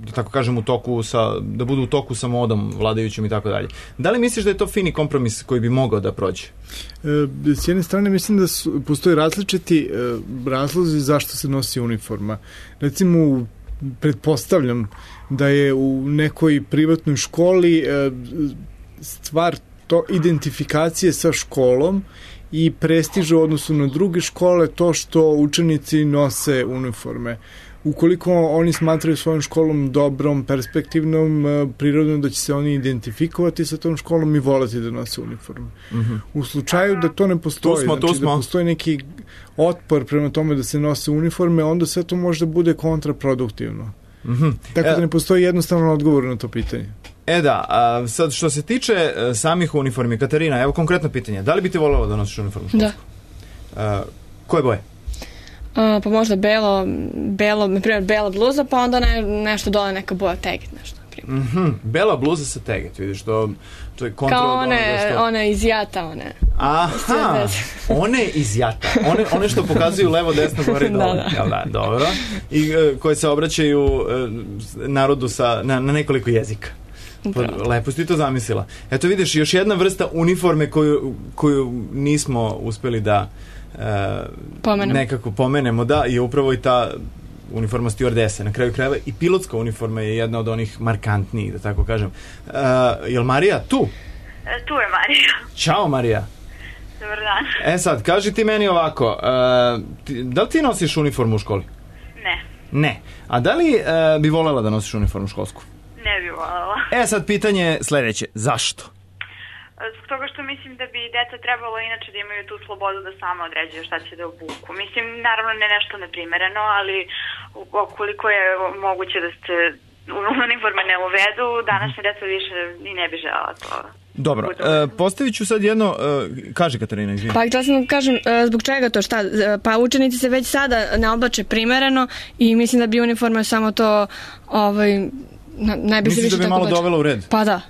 Speaker 6: da tako kažem u toku sa, da budu u toku sa modom vladajućim i tako dalje. Da li misliš da je to fini kompromis koji bi mogao da prođe?
Speaker 7: E, s jedne strane mislim da su, postoji različiti e, razlozi zašto se nosi uniforma. Recimo, pretpostavljam da je u nekoj privatnoj školi e, stvar to identifikacije sa školom i prestižu u odnosu na druge škole to što učenici nose uniforme. Ukoliko oni smatraju svojom školom dobrom, perspektivnom, prirodno da će se oni identifikovati sa tom školom i voleti da nose uniformu. Mm-hmm. U slučaju da to ne postoji,
Speaker 6: tu smo, tu
Speaker 7: znači
Speaker 6: smo.
Speaker 7: da postoji neki otpor prema tome da se nose uniforme, onda sve to može da bude kontraproduktivno. Mm-hmm. Tako da ne postoji jednostavan odgovor na to pitanje.
Speaker 6: E da, a sad što se tiče a, samih uniformi, Katarina, evo konkretno pitanje, da li bi ti voljela da nosiš uniformu školsku? Da. A, koje boje?
Speaker 5: Uh, pa možda belo, belo, na primjer bela bluza, pa onda ne, nešto dole neka boja teget, nešto.
Speaker 6: Mm-hmm. Bela bluza sa teget, vidiš, to, to je kontra
Speaker 5: kao
Speaker 6: od
Speaker 5: one,
Speaker 6: što...
Speaker 5: one iz jata, one.
Speaker 6: Aha, one iz jata, one, one što pokazuju levo, desno, gore i dole. Da, da. Da, dobro. I uh, koje se obraćaju uh, narodu sa, na, na nekoliko jezika. Pa, lepo si ti to zamislila. Eto vidiš, još jedna vrsta uniforme koju, koju nismo uspeli da uh, nekako pomenemo, da, je upravo i ta uniforma stewardese. Na kraju krajeva i pilotska uniforma je jedna od onih markantnijih, da tako kažem. Uh, je li Marija tu?
Speaker 13: E, tu je Marija.
Speaker 6: Ćao, Marija.
Speaker 13: Dobar dan.
Speaker 6: E sad, kaži ti meni ovako, uh, ti, da li ti nosiš uniformu u školi?
Speaker 13: Ne.
Speaker 6: Ne. A da li uh, bi voljela da nosiš uniformu školsku?
Speaker 13: Ne bi voljela.
Speaker 6: E sad, pitanje je sledeće. Zašto?
Speaker 13: Zbog toga što mislim da bi deca trebalo inače da imaju tu slobodu da sama određuju šta će da obuku. Mislim, naravno ne nešto neprimereno, ali koliko je moguće da se uniforme ne uvedu, današnje deca više i ne bi žela to.
Speaker 6: Dobro, e, postavit ću sad jedno, e, kaži Katarina, izvini.
Speaker 5: Pa htjela sam da kažem, e, zbog čega to, šta? Pa učenici se već sada ne oblače primereno i mislim da bi uniforma samo to, ovaj, ne bi se više tako oblače.
Speaker 6: Misliš da bi malo dovela u red?
Speaker 5: Pa da.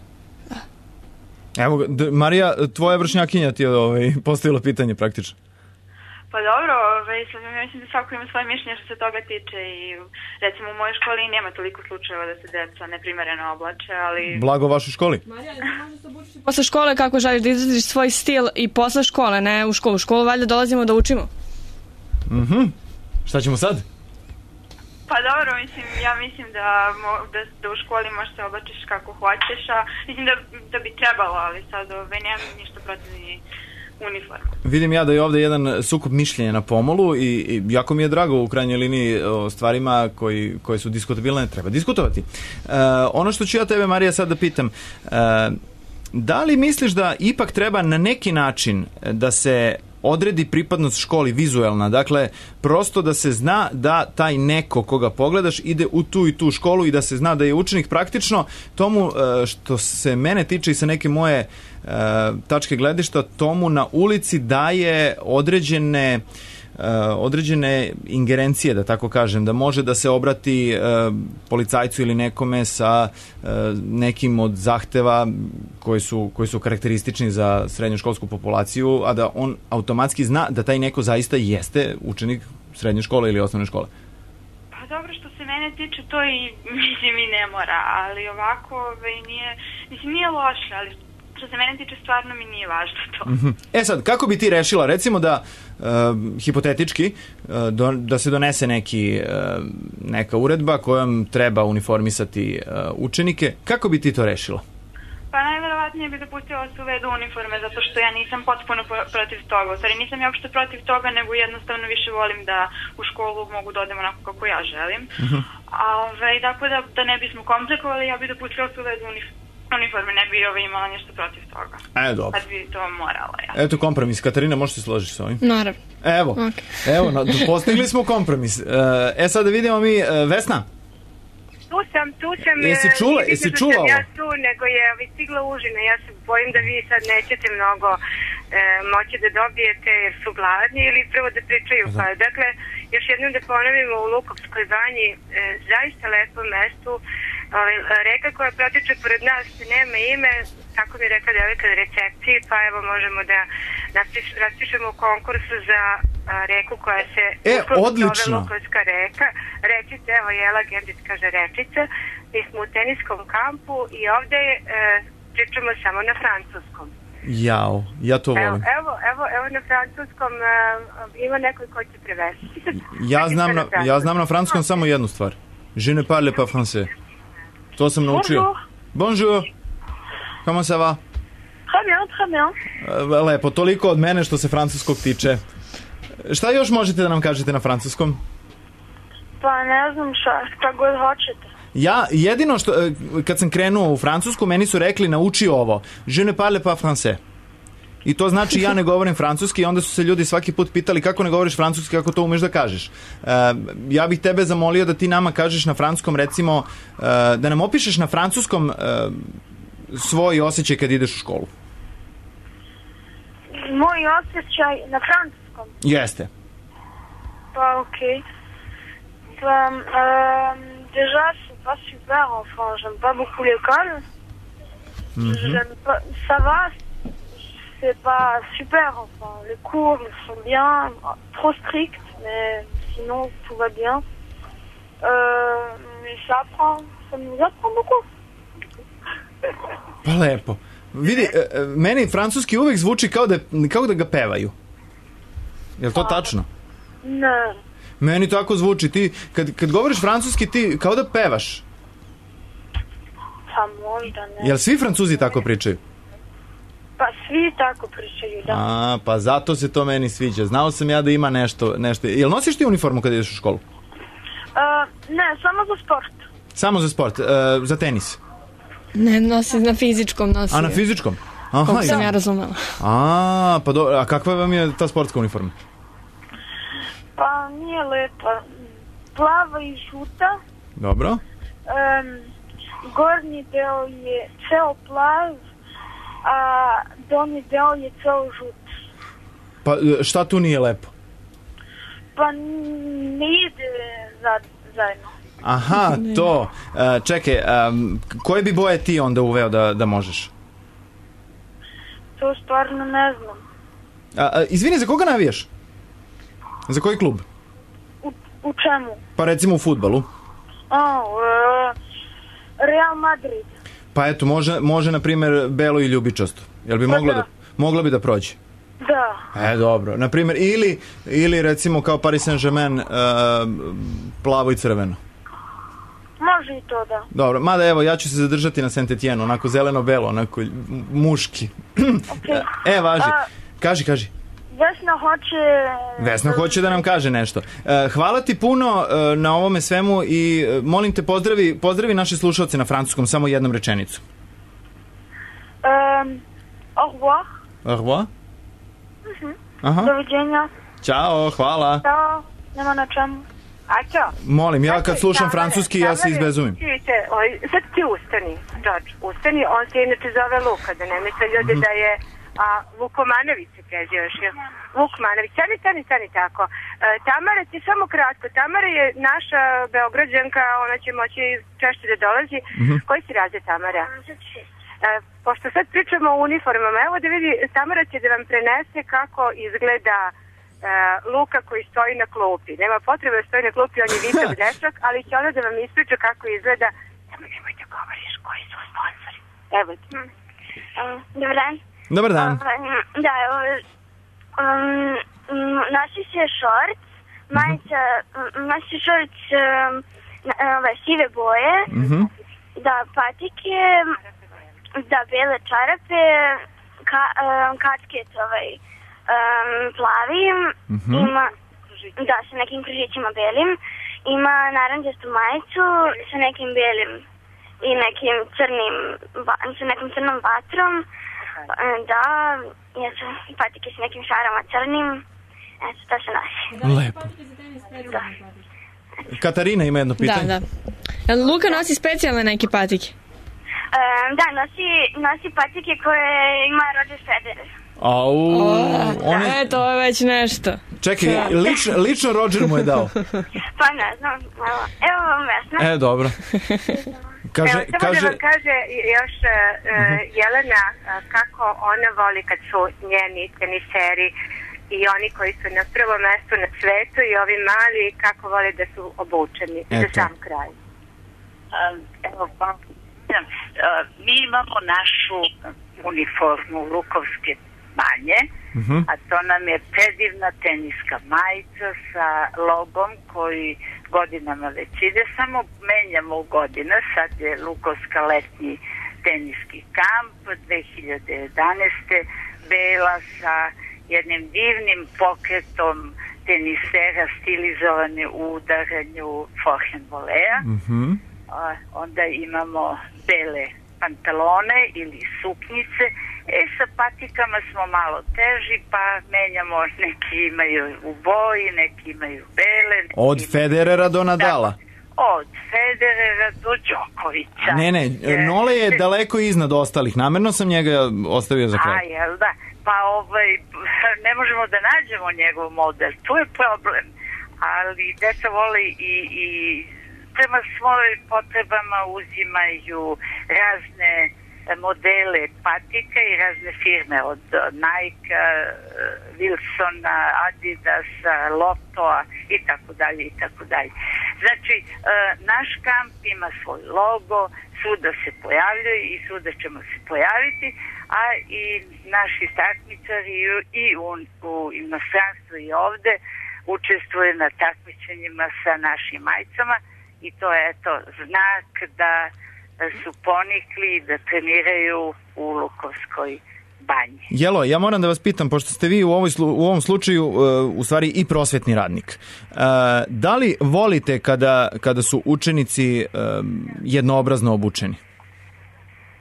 Speaker 6: Evo, Marija, tvoja vršnjakinja ti je ovaj, postavila pitanje praktično.
Speaker 13: Pa dobro, ovaj, mislim da svako ima svoje mišljenje što se toga tiče i recimo u mojoj školi nema toliko slučajeva da se deca neprimereno oblače, ali...
Speaker 6: Blago vašoj školi?
Speaker 5: Marija, ti možeš se obučiti posle škole kako želiš da izraziš svoj stil i posle škole, ne u školu. U školu valjda dolazimo da učimo.
Speaker 6: Mhm. Šta ćemo sad?
Speaker 13: Pa dobro, mislim, ja mislim da, da, da u školi možeš se oblačiš kako hoćeš, a mislim da, da bi trebalo, ali sad ovaj, nemam ništa protiv ni uniforma.
Speaker 6: Vidim ja da je ovde jedan sukob mišljenja na pomolu i, i jako mi je drago u krajnjoj liniji o stvarima koji, koje su diskutabilne, treba diskutovati. E, ono što ću ja tebe, Marija, sad da pitam, e, da li misliš da ipak treba na neki način da se odredi pripadnost školi vizuelna, dakle prosto da se zna da taj neko koga pogledaš ide u tu i tu školu i da se zna da je učenik praktično tomu, što se mene tiče i sa neke moje uh, tačke gledišta, tomu na ulici daje određene Uh, određene ingerencije, da tako kažem, da može da se obrati uh, policajcu ili nekome sa uh, nekim od zahteva koji su, koji su karakteristični za srednjoškolsku populaciju, a da on automatski zna da taj neko zaista jeste učenik srednje škole ili osnovne škole.
Speaker 13: Pa dobro, što se mene tiče, to i mislim i ne mora, ali ovako ovaj, nije, mislim, nije loše, ali što se mene tiče, stvarno mi nije važno to.
Speaker 6: Mm-hmm. E sad, kako bi ti rešila, recimo da uh, hipotetički uh, do, da se donese neki, uh, neka uredba kojom treba uniformisati uh, učenike, kako bi ti to rešila?
Speaker 13: Pa najverovatnije bi dopustila da se uvedu uniforme, zato što ja nisam potpuno protiv toga. U stvari nisam ja uopšte protiv toga, nego jednostavno više volim da u školu mogu da odem onako kako ja želim. Mm-hmm. A ovaj, dakle, da, da ne bismo komplikovali, ja bi dopustila da se uvedu uniforme. uniforme, ne bi ovaj imala nešto protiv toga.
Speaker 6: E, dobro.
Speaker 13: Kad bi to morala, ja.
Speaker 6: Eto kompromis. Katarina, možeš se složiti s ovim?
Speaker 5: Naravno.
Speaker 6: Evo, okay. Evo, no, postigli smo kompromis. E, sad da vidimo mi, Vesna.
Speaker 10: Tu sam, tu sam.
Speaker 6: Jesi čula, jesi čula ovo?
Speaker 10: Ja tu, nego je stigla užina. Ja se bojim da vi sad nećete mnogo e, moći da dobijete jer su gladni ili prvo da pričaju. Pa, dakle, još jednom da ponovimo, u Lukovskoj banji, e, zaista lepo mestu. Ove, reka koja protiče pored nas nema ime, tako mi je rekla devojka na recepciji, pa evo možemo da napiš, raspišemo konkurs za a, reku koja se
Speaker 6: e, odlično.
Speaker 10: zove Lukovska reka. Rečica, evo Jela Gendit kaže rečica. Mi smo u teniskom kampu i ovde e, pričamo samo na francuskom.
Speaker 6: Jao, ja to volim.
Speaker 10: Evo, evo, evo, evo na francuskom e, ima neko ko će prevesti.
Speaker 6: Ja znam na, ja znam na francuskom samo jednu stvar. Je ne parle pas français. To sam naučio. Bonjour. Comment ça va?
Speaker 10: Très bien, très bien.
Speaker 6: Lepo, toliko od mene što se francuskog tiče. Šta još možete da nam kažete na francuskom?
Speaker 10: Pa ne znam šta, šta god hoćete.
Speaker 6: Ja, jedino što, kad sam krenuo u Francusku, meni su rekli nauči ovo. Je ne parle pas français. I to znači ja ne govorim francuski i onda su se ljudi svaki put pitali kako ne govoriš francuski, kako to umeš da kažeš. Uh, ja bih tebe zamolio da ti nama kažeš na francuskom, recimo, uh, da nam opišeš na francuskom uh, svoj osjećaj kad ideš u školu.
Speaker 10: Moj osjećaj na francuskom?
Speaker 6: Jeste.
Speaker 10: Pa okej. Okay. Pa, um, déjà, c'est pas super, enfin, j'aime pas beaucoup l'école. Mm-hmm. J'aime pas, ça va, c'est pas super, enfin, les cours sont bien, trop stricts, mais sinon tout va bien. Euh, mais ça apprend, ça nous apprend beaucoup.
Speaker 6: Pa lepo. Vidi, meni francuski uvek zvuči kao da, kao da ga pevaju. Je li to tačno?
Speaker 10: Ne.
Speaker 6: Meni tako zvuči. Ti, kad, kad govoriš francuski, ti kao da pevaš.
Speaker 10: Pa možda ne.
Speaker 6: Jel svi Francuzi tako pričaju?
Speaker 14: Pa svi tako pričaju, da.
Speaker 6: A, pa zato se to meni sviđa. Znao sam ja da ima nešto, nešto. Jel nosiš ti uniformu kada ideš u školu?
Speaker 14: Uh, ne, samo za sport.
Speaker 6: Samo za sport, uh, za tenis?
Speaker 5: Ne, nosi na fizičkom nosi.
Speaker 6: A na fizičkom? Aha,
Speaker 5: koliko sam ja razumela.
Speaker 6: A, pa dobro, a kakva vam je ta sportska uniforma?
Speaker 14: Pa nije lepa. Plava i žuta.
Speaker 6: Dobro.
Speaker 14: Um, gornji deo je ceo plav, a donji deo je ceo žut.
Speaker 6: Pa šta tu nije lepo?
Speaker 14: Pa ne ide zajedno.
Speaker 6: Aha, to. Uh, čekaj, um, koje bi boje ti onda uveo da, da možeš?
Speaker 14: To stvarno ne znam.
Speaker 6: A, a, izvini, za koga navijaš? Za koji klub?
Speaker 14: U, u čemu?
Speaker 6: Pa recimo u fudbalu.
Speaker 14: A, uh, Real Madrid.
Speaker 6: Pa eto, može, može na primjer belo i ljubičasto. Jel bi
Speaker 14: pa
Speaker 6: mogla
Speaker 14: da.
Speaker 6: da, mogla bi da prođe?
Speaker 14: Da.
Speaker 6: E, dobro. Na primjer, ili, ili recimo kao Paris Saint-Germain uh, plavo i crveno.
Speaker 14: Može i to, da.
Speaker 6: Dobro, mada evo, ja ću se zadržati na Saint-Étienne, onako zeleno-belo, onako muški.
Speaker 14: Okay.
Speaker 6: E, važi. A, kaži, kaži.
Speaker 14: Vesna hoće...
Speaker 6: Vesna hoće da nam kaže nešto. Uh, hvala ti puno uh, na ovome svemu i uh, molim te pozdravi, pozdravi naše slušalce na francuskom, samo jednom rečenicu.
Speaker 14: Um, au revoir.
Speaker 6: Au revoir.
Speaker 14: Uh-huh.
Speaker 6: Aha.
Speaker 14: Doviđenja.
Speaker 6: Ćao, hvala.
Speaker 14: Ćao, nema na čemu.
Speaker 10: A čo?
Speaker 6: Molim, ja kad slušam francuski, ja se izbezumim.
Speaker 10: Čujte, sad ti ustani, George, ustani, on se inače zove Luka, da ne misle ljudi da je a, Vukomanović se prezioš. Vukmanović, stani, stani, stani tako. E, Tamara ti samo kratko, Tamara je naša Beograđanka, ona će moći češće da dolazi. Mm-hmm. Koji si razred, Tamara? E, pošto sad pričamo o uniformama, evo da vidi, Tamara će da vam prenese kako izgleda Uh, Luka koji stoji na klupi. Nema potrebe da stoji na klupi, on je visav dečak, ali će ona da vam ispriča kako izgleda. Samo nemoj da govoriš koji su sponsori. Evo ti.
Speaker 14: Hmm. Um, dobar dan.
Speaker 6: Dobar dan.
Speaker 14: Um, da, um, nosi se šorc, majica, mm-hmm. nosi se šorc um, ove sive boje, mm-hmm. da patike, da bele čarape, ka, um, kačket ovaj, Um, plavim, mm-hmm. ima, da, sa nekim križićima belim, ima naranđastu majicu sa nekim belim i nekim crnim, sa nekim crnom vatrom, da, jesu patike sa nekim šarama crnim, eto, to se nosi.
Speaker 6: Lepo.
Speaker 14: Da.
Speaker 6: Katarina ima jedno pitanje.
Speaker 5: Da, da. Luka nosi specijalne neke patike?
Speaker 14: Um, da, nosi, nosi patike koje ima Roger Federer.
Speaker 6: Au,
Speaker 5: one... E, to je već nešto.
Speaker 6: Čekaj, lično, lično Roger mu je dao.
Speaker 14: Pa ne znam, evo, evo vam Vesna.
Speaker 6: E, dobro. Kaže,
Speaker 10: evo, samo
Speaker 6: kaže...
Speaker 10: da vam kaže još uh, uh-huh. Jelena uh, kako ona voli kad su njeni teniseri i oni koji su na prvom mestu na svetu i ovi mali kako vole da su obučeni. Eto. Za sam kraj.
Speaker 9: Um, evo, pa, uh, mi imamo našu uniformu Lukovske banje, uh-huh. a to nam je predivna teniska majica sa logom koji godinama već ide, samo menjamo u godina, sad je Lukovska letnji teniski kamp dve hiljade jedanaeste bela sa jednim divnim pokretom tenisera stilizovane u udaranju forehand voleja. Uh-huh. A, onda imamo bele pantalone ili suknjice. E, sa patikama smo malo teži, pa menjamo, neki imaju u boji, neki imaju bele. Neki
Speaker 6: od
Speaker 9: imaju...
Speaker 6: Federera do Nadala?
Speaker 9: Da, od Federera do Đokovića.
Speaker 6: Ne, ne, Nole je daleko iznad ostalih. Namerno sam njega ostavio za kraj.
Speaker 9: A, jel da? Pa ovaj, ne možemo da nađemo njegov model. Tu je problem. Ali deca vole i... i prema svojim potrebama uzimaju razne modele patika i razne firme od Nike, Wilsona, Adidasa, Lottoa i tako dalje i tako dalje. Znači, naš kamp ima svoj logo, svuda se pojavljaju i svuda ćemo se pojaviti, a i naši takmičari i u, u inostranstvu i ovde učestvuju na takmičenjima sa našim majicama. I to je, eto, znak da su ponikli da treniraju u Lukovskoj Banje.
Speaker 6: Jelo, ja moram da vas pitam, pošto ste vi u, ovoj, u ovom slučaju uh, u stvari i prosvetni radnik. Uh, da li volite kada, kada su učenici um, jednoobrazno obučeni?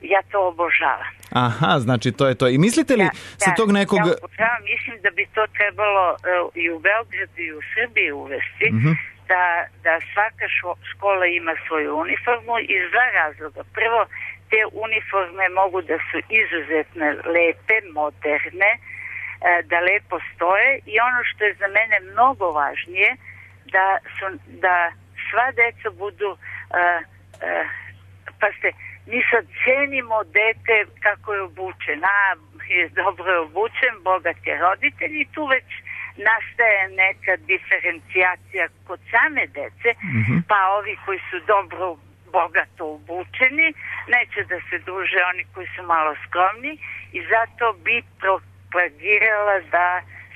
Speaker 9: Ja to obožavam.
Speaker 6: Aha, znači to je to. I mislite li
Speaker 9: ja,
Speaker 6: sa
Speaker 9: ja,
Speaker 6: tog nekog...
Speaker 9: Ja obožavam, mislim da bi to trebalo uh, i u Beogradu i u Srbiji uvesti,
Speaker 6: Mhm.
Speaker 9: da, da svaka šo, škola ima svoju uniformu iz dva razloga. Prvo, te uniforme mogu da su izuzetno lepe, moderne, da lepo stoje i ono što je za mene mnogo važnije, da, su, da sva deca budu, uh, uh, pa ste, mi sad cenimo dete kako je obučen, a je dobro obučen, bogat je roditelj i tu već nastaje neka diferencijacija kod same dece, mm-hmm. pa ovi koji su dobro bogato obučeni, neće da se druže oni koji su malo skromni i zato bi propagirala da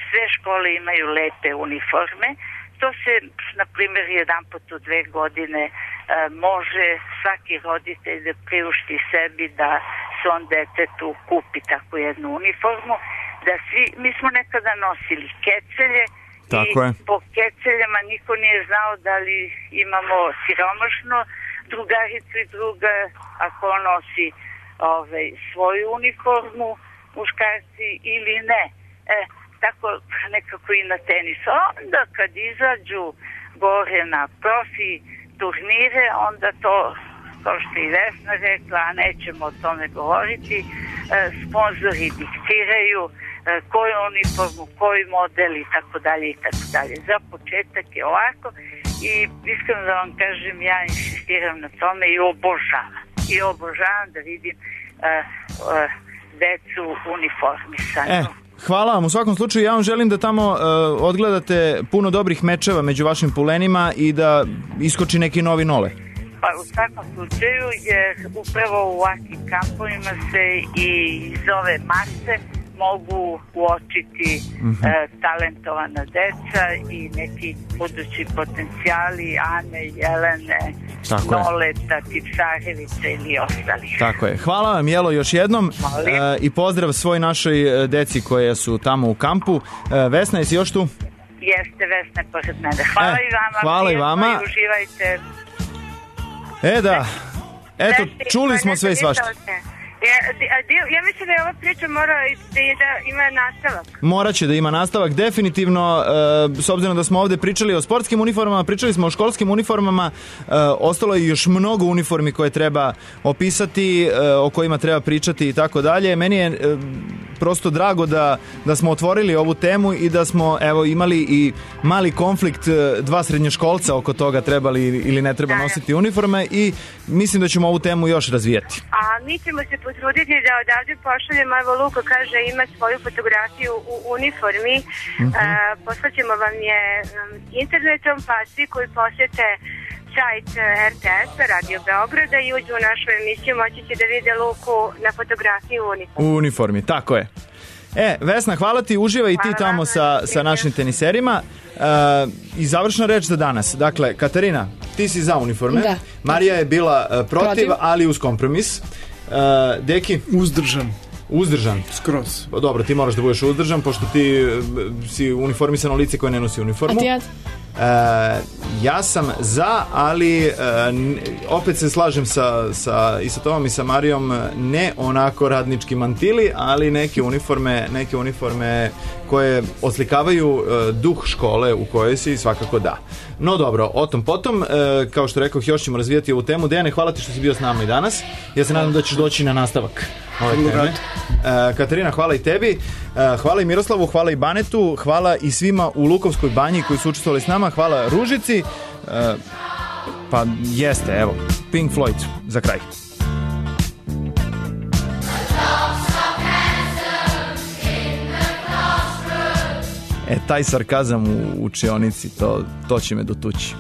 Speaker 9: sve škole imaju lepe uniforme. To se, na primjer, jedan put u dve godine e, može svaki roditelj da priušti sebi da svom detetu kupi takvu jednu uniformu. Da svi, mi smo nekada nosili kecelje. Tako i je. Po keceljama niko nije znao da li imamo siromašno drugaricu i druga, ako on nosi ovaj, svoju uniformu, muškarci ili ne. E, tako nekako i na tenisu. Onda kad izađu gore na profi turnire, onda to, kao što i Vesna rekla, a nećemo o tome govoriti, e, sponzori diktiraju e, koju uniformu, koji model i tako dalje i tako dalje. Za početak je ovako i iskreno da vam kažem, ja insistiram na tome i obožavam. I obožavam da vidim e, e, decu uniformisanu.
Speaker 6: E. Hvala vam. U svakom slučaju ja vam želim da tamo uh, odgledate puno dobrih mečeva među vašim pulenima i da iskoči neki novi nole.
Speaker 9: Pa u svakom slučaju, jer upravo u ovakvim kampovima se i iz ove mase mogu uočiti mm-hmm. uh, talentovana deca i neki budući potencijali Ane, Jelene, tako Noleta, Tipsarevića ili ostali.
Speaker 6: Tako je. Hvala vam, Jelo, još jednom uh, i pozdrav svoj našoj deci koje su tamo u kampu. Uh, Vesna, jesi još tu?
Speaker 9: Jeste, Vesna je pored mene. Hvala e, i vama.
Speaker 6: Hvala i vama.
Speaker 9: I uživajte.
Speaker 6: E da, eto, čuli smo sve i svašta.
Speaker 10: Ja, ja mislim da je ova priča mora da, da ima nastavak.
Speaker 6: Moraće da ima nastavak, definitivno, e, s obzirom da smo ovde pričali o sportskim uniformama, pričali smo o školskim uniformama, e, ostalo je još mnogo uniformi koje treba opisati, e, o kojima treba pričati i tako dalje. Meni je e, prosto drago da, da smo otvorili ovu temu i da smo evo imali i mali konflikt dva srednjoškolca oko toga trebali ili ne treba nositi uniforme i mislim da ćemo ovu temu još razvijati.
Speaker 10: A mi ćemo se potruditi da odavde pošaljemo, evo Luka kaže ima svoju fotografiju u uniformi, mm-hmm. uh, poslaćemo vam je um, internetom, pa svi koji posjete sajt R T S-a, Radio Beograda i uđu u našu emisiju, moći će da vide Luku na fotografiji u uniformi.
Speaker 6: U uniformi, tako je. E, Vesna, hvala ti, uživaj i ti hvala tamo sa, sa našim teniserima. Uh, I završna reč za danas. Dakle, Katarina, ti si za uniforme. Da. Marija je bila uh, protiv, protiv, ali uz kompromis. Uh, Deki?
Speaker 7: Uzdržan.
Speaker 6: Uzdržan?
Speaker 7: Skroz.
Speaker 6: Dobro, ti moraš da budeš uzdržan, pošto ti uh, si uniformisano lice koje ne nosi uniformu.
Speaker 5: A ti ja?
Speaker 6: Uh, ja sam za, ali uh, opet se slažem sa, sa, i sa Tomom i sa Marijom, ne onako radnički mantili, ali neke uniforme, neke uniforme koje oslikavaju uh, duh škole u kojoj si, svakako da. No dobro, o tom potom, uh, kao što rekao, još ćemo razvijati ovu temu. Dejane, hvala ti što si bio s nama i danas. Ja se nadam da ćeš doći na nastavak ove teme. Uh, Katarina, hvala i tebi. Uh, hvala i Miroslavu, hvala i Banetu, hvala i svima u Lukovskoj banji koji su učestvovali s nama. Hvala Ružici. Uh, pa jeste, evo, Pink Floyd za kraj. E, taj sarkazam u učionici, to, to će me dotući.